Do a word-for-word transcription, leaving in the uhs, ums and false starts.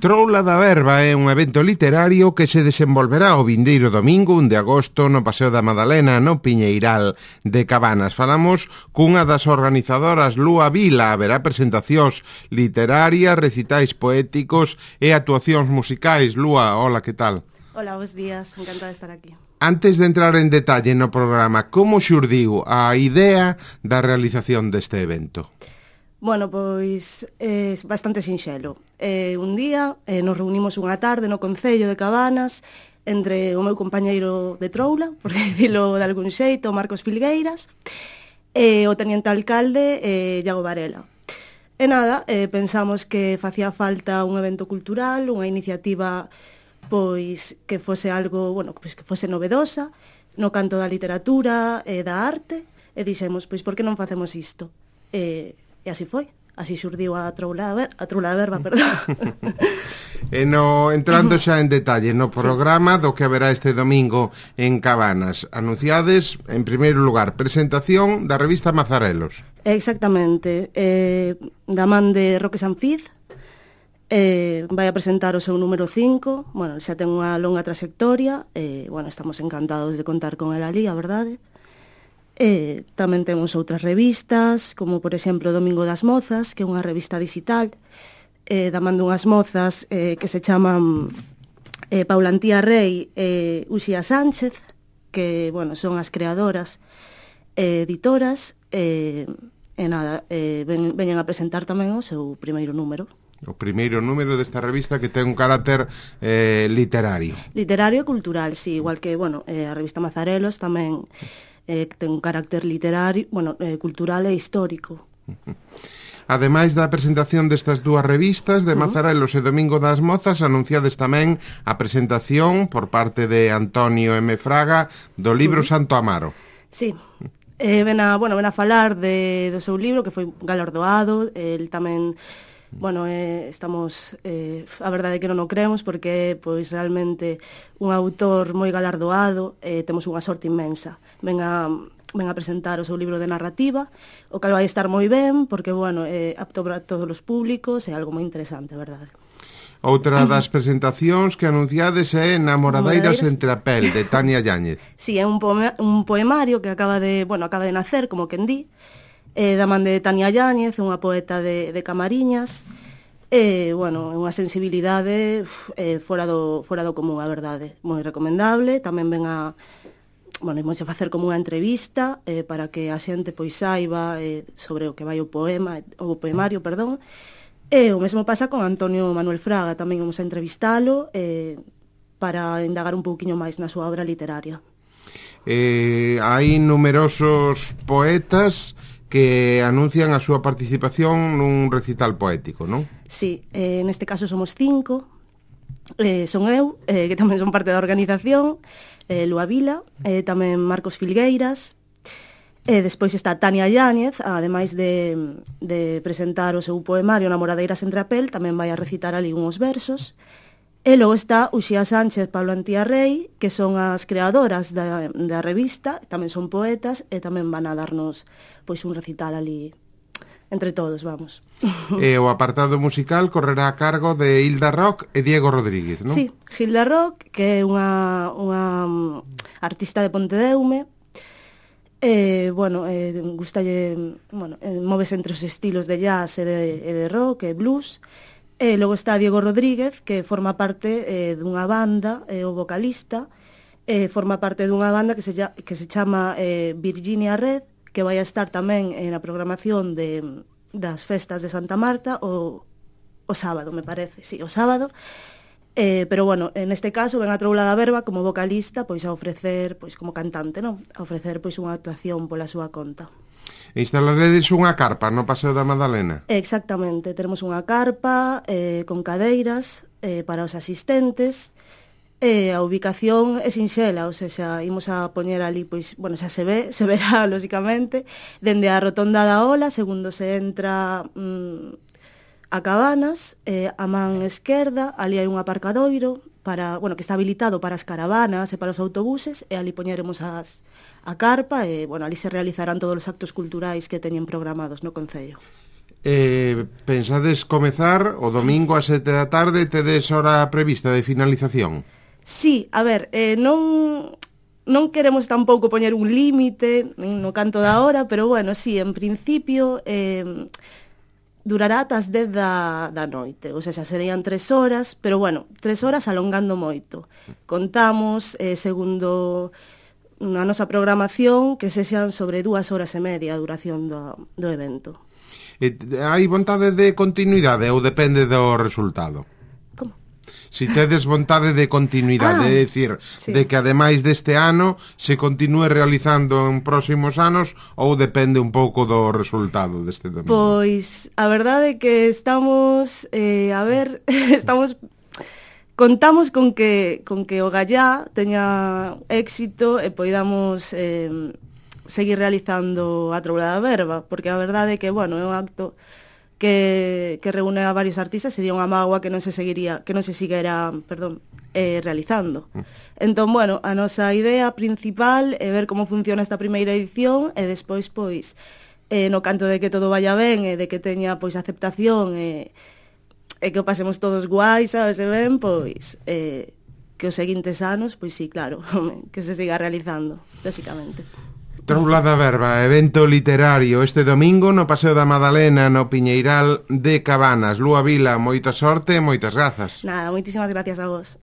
Troula da Verba é un evento literario que se desenvolverá o vindeiro domingo un de agosto no Paseo da Madalena, no Piñeiral de Cabanas. Falamos cunha das organizadoras, Lúa Vila. Haberá presentacións literarias, recitais poéticos e actuacións musicais. Lúa, hola, que tal? Hola, bons días, encantada de estar aquí. Antes de entrar en detalle no programa, como xurdiu a idea da realización deste evento? Bueno, pois é eh, bastante sinxelo. Eh, un día eh, nos reunimos unha tarde no Concello de Cabanas entre o meu compañeiro de Troula, por dicilo de algún xeito, Marcos Filgueiras, e o teniente alcalde eh, Iago Varela. E nada, eh, pensamos que facía falta un evento cultural, unha iniciativa pois que fose algo, bueno, pois que fose novedosa no canto da literatura e da arte, e dixemos, pois por que non facemos isto? E E así foi, así xurdiu a Troula Ver, a Troula da Verba, perdón. E no, entrando xa en detalle no programa sí. do que haberá este domingo en Cabanas, anunciades, en primeiro lugar, presentación da revista Mazarelos. Exactamente, eh, da man de Roque Sanfiz, eh, vai a presentar o seu número cinco, bueno, xa ten unha longa trayectoria, e, eh, bueno, estamos encantados de contar con el ali, a verdade. E tamén temos outras revistas, como por exemplo Domingo das Mozas, que é unha revista digital, eh, da man dunhas mozas eh, que se chaman eh, Paula Antía Rei e Uxía Sánchez, que, bueno, son as creadoras e editoras, e, e nada, eh, ven, veñen a presentar tamén o seu primeiro número. O primeiro número desta revista que ten un carácter eh, literario. Literario e cultural, sí, igual que, bueno, eh, a revista Mazarelos tamén eh, ten un carácter literario, bueno, eh, cultural e histórico. Ademais da presentación destas dúas revistas de Mazarelos uh -huh. e Domingo das Mozas, anunciades tamén a presentación por parte de Antonio M. Fraga do libro uh -huh. Santo Amaro. Sí, eh, ven, a, bueno, ven a falar de, do seu libro, que foi galardoado, el tamén... Bueno, eh, estamos, eh, a verdade é que non o creemos porque pois realmente un autor moi galardoado, eh, temos unha sorte inmensa. Ven a, ven a presentar o seu libro de narrativa, o cal vai estar moi ben porque, bueno, é eh, apto para todos os públicos, é algo moi interesante, a verdade. Outra das presentacións que anunciades é Namoradeiras entre a pel, de Tania Yáñez. Sí, é un, poema, un poemario que acaba de, bueno, acaba de nacer, como quen di, eh, da man de Tania Yáñez, unha poeta de, de Camariñas, e, eh, bueno, unha sensibilidade eh, fora, do, fora do común, a verdade, moi recomendable. Tamén ven a, bueno, imos a facer como unha entrevista eh, para que a xente pois saiba eh, sobre o que vai o poema, o poemario, perdón. E o mesmo pasa con Antonio Manuel Fraga, tamén vamos a entrevistalo eh, para indagar un pouquiño máis na súa obra literaria. Eh, hai numerosos poetas que anuncian a súa participación nun recital poético, non? Sí, eh, neste caso somos cinco, eh, son eu, eh, que tamén son parte da organización, eh, Lúa Vila, eh, tamén Marcos Filgueiras, e eh, despois está Tania Yáñez, ademais de, de presentar o seu poemario Namoradeiras entre a pel, tamén vai a recitar ali uns versos. E logo está Uxía Sánchez, Paula Antía Rei, que son as creadoras da, da revista, tamén son poetas, e tamén van a darnos pois un recital ali entre todos, vamos. E o apartado musical correrá a cargo de Hilda Rock e Diego Rodríguez, non? Sí, Hilda Rock, que é unha, unha artista de Pontedeume, e, bueno, eh, gustalle, bueno, eh, móvese entre os estilos de jazz e de, e de rock e blues. E logo está Diego Rodríguez, que forma parte eh, dunha banda, é eh, o vocalista, eh, forma parte dunha banda que se, que se chama eh, Virginia Red, que vai a estar tamén na programación de, das festas de Santa Marta o, o sábado, me parece, sí, o sábado. Eh, pero, bueno, en este caso ven a Troula da Verba como vocalista, pois a ofrecer, pois como cantante, non? A ofrecer pois unha actuación pola súa conta. Instalaredes unha carpa no Paseo da Madalena? Exactamente, teremos unha carpa eh, con cadeiras eh, para os asistentes. E a ubicación é sinxela, ou seja, imos a poñer ali, pois, bueno, xa se ve, se verá, lógicamente, dende a rotonda da Ola, segundo se entra mmm, a Cabanas, eh, a man esquerda, ali hai un aparcadoiro, para, bueno, que está habilitado para as caravanas e para os autobuses, e ali poñeremos as, a carpa, e, bueno, ali se realizarán todos os actos culturais que teñen programados no Concello. Eh, pensades comezar o domingo a sete da tarde, tedes hora prevista de finalización? Sí, a ver, eh, non... non queremos tampouco poñer un límite no canto da hora, pero bueno, sí, en principio eh, durará ata as dez da, da noite, ou seja, serían tres horas, pero bueno, tres horas alongando moito. Contamos, eh, segundo a nosa programación, que sexan sobre dúas horas e media a duración do, do evento. E hai vontade de continuidade ou depende do resultado? Como? Si tedes vontade de continuidade, Ah, é dicir, sí. de que ademais deste ano se continúe realizando en próximos anos ou depende un pouco do resultado deste domingo? Pois a verdade é que estamos, eh, a ver, estamos contamos con que con que o Gallá teña éxito e poidamos eh, seguir realizando a Troula da Verba, porque a verdade é que, bueno, é un acto que, que reúne a varios artistas, sería unha mágoa que non se seguiría, que non se seguira, perdón, eh, realizando. Entón, bueno, a nosa idea principal é ver como funciona esta primeira edición e despois, pois, eh, no canto de que todo vaya ben e de que teña, pois, aceptación e, e que o pasemos todos guai, sabes, e ben, pois, eh, que os seguintes anos, pois sí, claro, que se siga realizando, lógicamente. Troula da Verba, evento literario este domingo no Paseo da Madalena, no Piñeiral de Cabanas. Lúa Vila, moita sorte e moitas grazas. Nada, moitísimas gracias a vos.